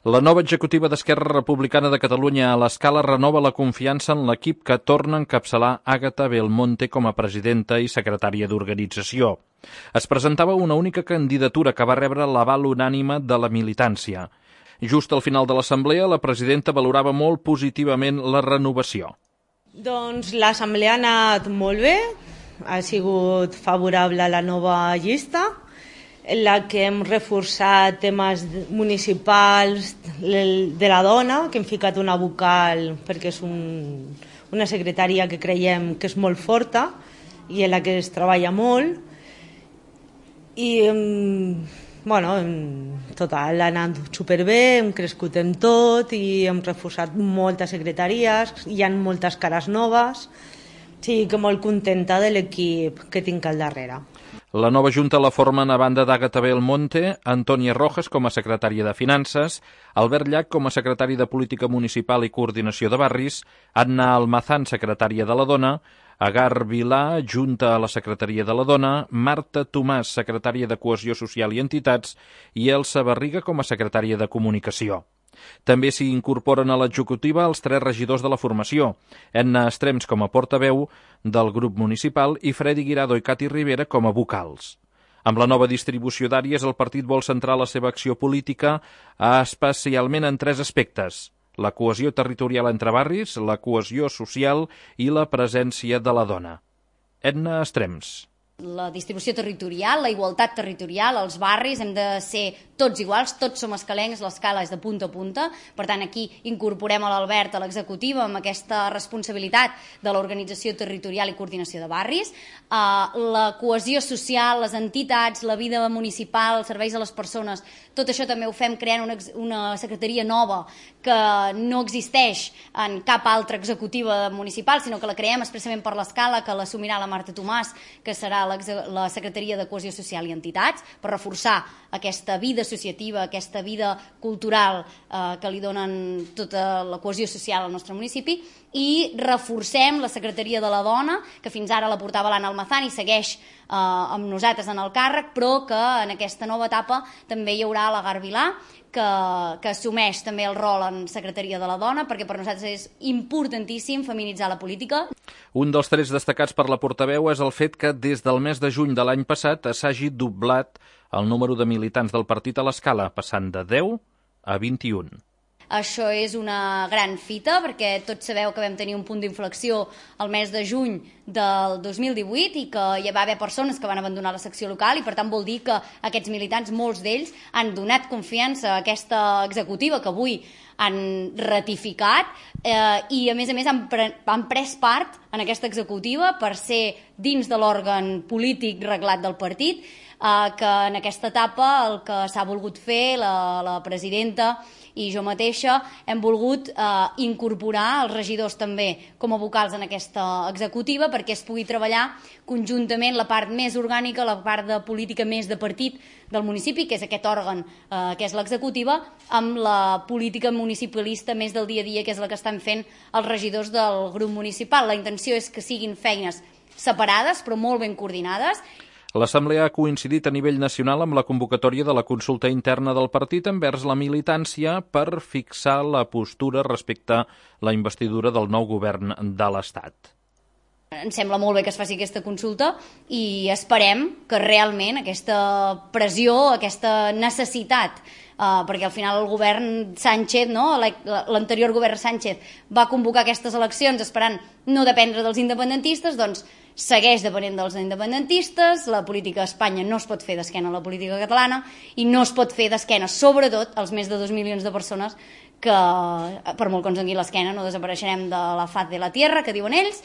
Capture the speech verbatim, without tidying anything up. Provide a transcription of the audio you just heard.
La nova executiva d'Esquerra Republicana de Catalunya a l'Escala renova la confiança en l'equip que torna a encapçalar Àgata Belmonte com a presidenta i secretària d'organització. Es presentava una única candidatura que va rebre l'aval unànime de la militància. Just al final de l'assemblea, la presidenta valorava molt positivament la renovació. Doncs l'assemblea ha anat molt bé, ha sigut favorable a la nova llista, en la que hem reforçat temes municipals de la dona, que hem ficat una vocal perquè és un, una secretària que creiem que és molt forta i en la que es treballa molt. I bueno, en total ha anat superbé, hem crescut en tot i hem reforçat moltes secretaries, hi ha moltes cares noves, sí que molt contenta de l'equip que tinc al darrere. La nova junta la formen, a banda d'Àgata Belmonte, Antònia Rojas com a secretària de Finances, Albert Llach com a secretari de Política Municipal i Coordinació de Barris, Anna Almazán, secretària de la Dona, Agar Vilà, junta a la Secretaria de la Dona, Marta Tomàs, secretària de Cohesió Social i Entitats, i Elsa Barriga com a secretària de Comunicació. També s'hi incorporen a l'executiva els tres regidors de la formació, Edna Estrems com a portaveu del grup municipal i Freddy Guirado i Cati Rivera com a vocals. Amb la nova distribució d'àrees, el partit vol centrar la seva acció política especialment en tres aspectes: la cohesió territorial entre barris, la cohesió social i la presència de la dona. Edna Estrems. La distribució territorial, la igualtat territorial, els barris, hem de ser tots iguals, tots som escalencs, l'escala és de punta a punta, per tant aquí incorporem a l'Albert a l'executiva amb aquesta responsabilitat de l'organització territorial i coordinació de barris, uh, la cohesió social, les entitats, la vida municipal, els serveis a les persones, tot això també ho fem creant una, una secretaria nova que no existeix en cap altra executiva municipal, sinó que la creem expressament per l'escala, que l'assumirà la Marta Tomàs, que serà la Secretaria de Cohesió Social i Entitats, per reforçar aquesta vida associativa, aquesta vida cultural eh, que li donen tota la cohesió social al nostre municipi, i reforcem la Secretaria de la Dona, que fins ara la portava l'Anna Almazán i segueix eh, amb nosaltres en el càrrec, però que en aquesta nova etapa també hi haurà l'Agar Vilà, que, que assumeix també el rol en Secretaria de la Dona, perquè per nosaltres és importantíssim feminitzar la política. Un dels trets destacats per la portaveu és el fet que des del mes de juny de l'any passat s'hagi doblat el número de militants del partit a l'Escala, passant de deu a vint-i-un. Això és una gran fita, perquè tots sabeu que vam tenir un punt d'inflexió el mes de juny del dos mil divuit i que hi va haver persones que van abandonar la secció local i per tant vol dir que aquests militants, molts d'ells, han donat confiança a aquesta executiva que avui han ratificat eh, i a més a més han, pre han pres part en aquesta executiva per ser dins de l'òrgan polític reglat del partit, eh, que en aquesta etapa el que s'ha volgut fer la, la presidenta i jo mateixa hem volgut eh, incorporar els regidors també com a vocals en aquesta executiva perquè es pugui treballar conjuntament la part més orgànica, la part de política més de partit del municipi, que és aquest òrgan eh, que és l'executiva, amb la política municipalista més del dia a dia, que és la que estan fent els regidors del grup municipal. La intenció és que siguin feines separades però molt ben coordinades. L'Assemblea ha coincidit a nivell nacional amb la convocatòria de la consulta interna del partit envers la militància per fixar la postura respecte a la investidura del nou govern de l'Estat. Ens sembla molt bé que es faci aquesta consulta i esperem que realment aquesta pressió, aquesta necessitat, eh, perquè al final el govern Sánchez, no? l'anterior govern Sánchez va convocar aquestes eleccions esperant no dependre dels independentistes, doncs segueix depenent dels independentistes, la política a Espanya no es pot fer d'esquena a la política catalana i no es pot fer d'esquena, sobretot, als més de dos milions de persones que, per molt que ens doni l'esquena, no desapareixerem de la faz de la tierra, que diuen ells,